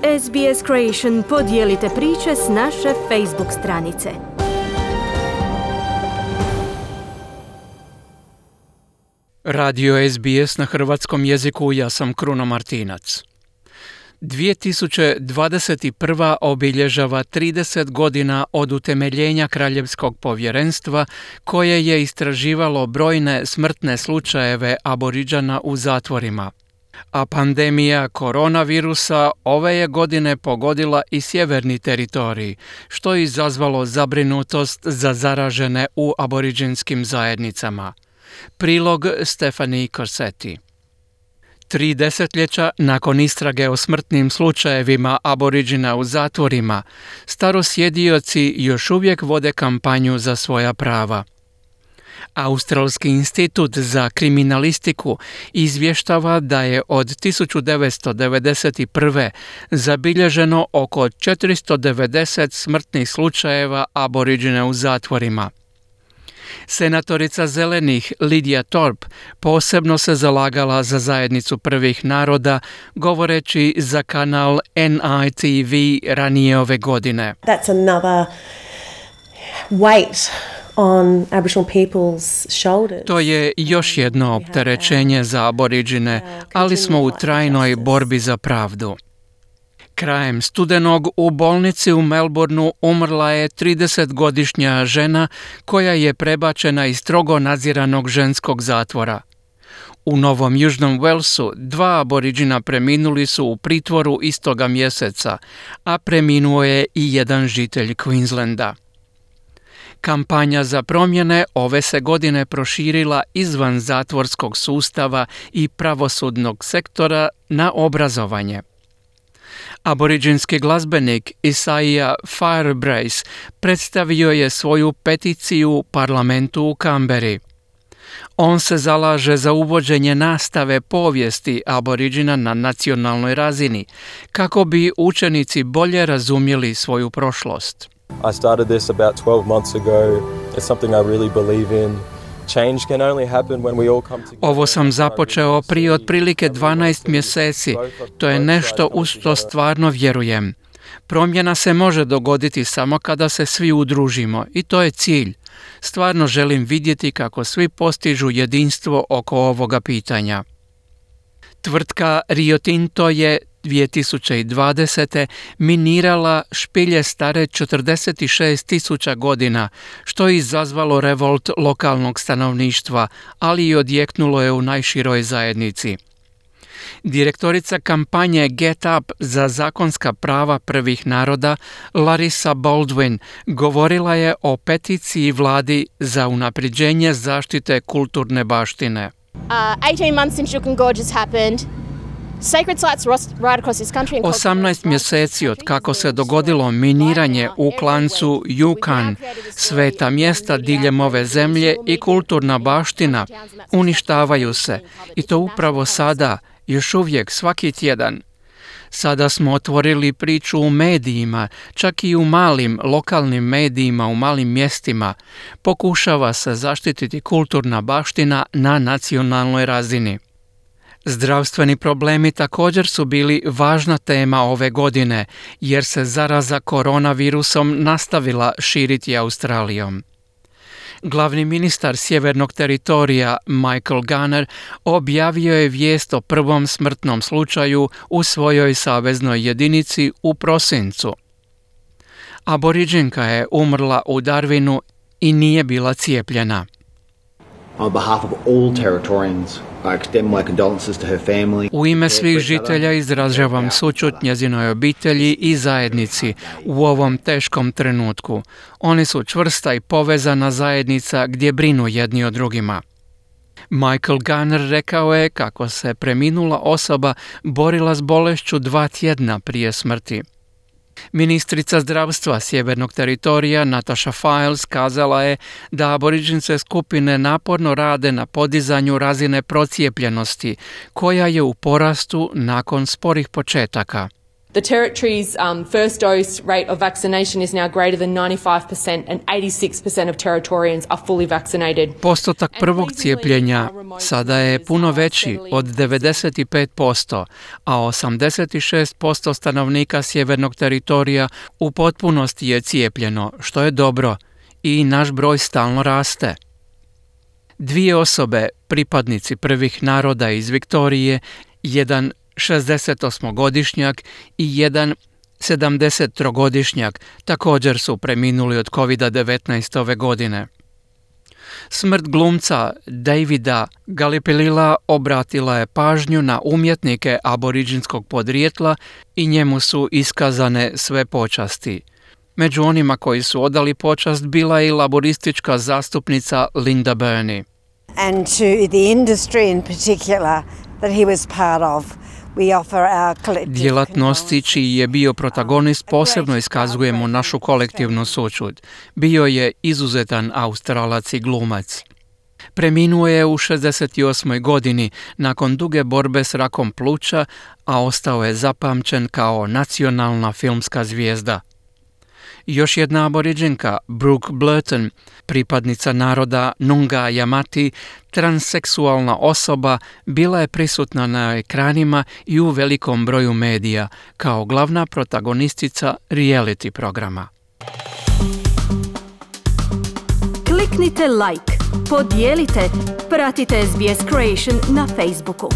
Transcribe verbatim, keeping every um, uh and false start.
S B S Creation podijelite priče s naše Facebook stranice. Radio S B S na hrvatskom jeziku, ja sam Kruno Martinac. dvije tisuće dvadeset prva obilježava trideset godina od utemeljenja Kraljevskog povjerenstva koje je istraživalo brojne smrtne slučajeve Aboridžana u zatvorima. A pandemija koronavirusa ove je godine pogodila i sjeverni teritorij, što je izazvalo zabrinutost za zaražene u aboriđinskim zajednicama. Prilog Stephanie Corsetti. Tri desetljeća nakon istrage o smrtnim slučajevima Aboriđina u zatvorima, starosjedioci još uvijek vode kampanju za svoja prava. Australski institut za kriminalistiku izvještava da je od tisuću devetsto devedeset prve zabilježeno oko četiristo devedeset smrtnih slučajeva Aboriđina u zatvorima. Senatorica Zelenih Lydia Thorpe posebno se zalagala za zajednicu prvih naroda, govoreći za kanal N I T V ranije ove godine. That's another weight on Aboriginal people's shoulders. To je još jedno opterećenje za Aboriđine, ali smo u trajnoj borbi za pravdu. Krajem studenog u bolnici u Melbourneu umrla je tridesetgodišnja žena koja je prebačena iz strogo nadziranog ženskog zatvora. U Novom Južnom Walesu dva Aboriđina preminuli su u pritvoru istoga mjeseca, a preminuo je i jedan žitelj Queenslanda. Kampanja za promjene ove se godine proširila izvan zatvorskog sustava i pravosudnog sektora na obrazovanje. Aboriđinski glazbenik Isaiah Firebrace predstavio je svoju peticiju parlamentu u Kamberi. On se zalaže za uvođenje nastave povijesti Aboriđina na nacionalnoj razini, kako bi učenici bolje razumjeli svoju prošlost. I started this about twelve months ago. It's something I really believe in. Change can only happen when we all come together. Ovo sam započeo prije otprilike dvanaest mjeseci. To je nešto u što stvarno vjerujem. Promjena se može dogoditi samo kada se svi udružimo i to je cilj. Stvarno želim vidjeti kako svi postižu jedinstvo oko ovoga pitanja. Tvrtka Rio Tinto je dvije tisuće dvadesete minirala špilje stare četrdeset šest tisuća godina, što je izazvalo revolt lokalnog stanovništva, ali i odjeknulo je u najširoj zajednici. Direktorica kampanje Get Up za zakonska prava prvih naroda, Larissa Baldwin, govorila je o peticiji vladi za unapređenje zaštite kulturne baštine. Uh, eighteen months since Juukan Gorge has happened. osamnaest mjeseci od kako se dogodilo miniranje u klancu Yukon, sveta mjesta diljem ove zemlje i kulturna baština uništavaju se, i to upravo sada, još uvijek svaki tjedan. Sada smo otvorili priču u medijima, čak i u malim lokalnim medijima u malim mjestima. Pokušava se zaštititi kulturna baština na nacionalnoj razini. Zdravstveni problemi također su bili važna tema ove godine, jer se zaraza koronavirusom nastavila širiti Australijom. Glavni ministar sjevernog teritorija Michael Gunner objavio je vijest o prvom smrtnom slučaju u svojoj saveznoj jedinici u prosincu. Aboriđinka je umrla u Darwinu i nije bila cijepljena. On behalf of all Territorians, I extend my condolences to her family. U ime svih žitelja izražavam sućut njezinoj obitelji i zajednici u ovom teškom trenutku. Oni su čvrsta i povezana zajednica gdje brinu jedni o drugima. Michael Gunner rekao je kako se preminula osoba borila s bolešću dva tjedna prije smrti. Ministrica zdravstva sjevernog teritorija Natasha Files kazala je da aboriđinske skupine naporno rade na podizanju razine procijepljenosti, koja je u porastu nakon sporih početaka. The territory's um, first dose rate of vaccination is now greater than ninety-five percent and eighty-six percent of Territorians are fully vaccinated. Postotak prvog cijepljenja sada je puno veći od devedeset pet posto, a osamdeset šest posto stanovnika sjevernog teritorija u potpunosti je cijepljeno, što je dobro, i naš broj stalno raste. Dvije osobe, pripadnici prvih naroda iz Viktorije, jedan šezdesetosmogodišnjak i jedan sedamdesettrogodišnjak, također su preminuli od kovid devetnaest ove godine. Smrt glumca Davida Galipilila obratila je pažnju na umjetnike aboriđinskog podrijetla i njemu su iskazane sve počasti. Među onima koji su odali počast bila je i laboristička zastupnica Linda Burney. And to the industry in particular that he was part of. Djelatnosti čiji je bio protagonist posebno iskazujemo našu kolektivnu sućut. Bio je izuzetan Australac i glumac. Preminuo je u šezdeset osmoj godini nakon duge borbe s rakom pluća, a ostao je zapamćen kao nacionalna filmska zvijezda. Još jedna aboriđinka, Brooke Blurton, pripadnica naroda Nunga Jamati, transseksualna osoba, bila je prisutna na ekranima i u velikom broju medija kao glavna protagonistica reality programa. Kliknite like, podijelite, pratite S B S Creation na Facebooku.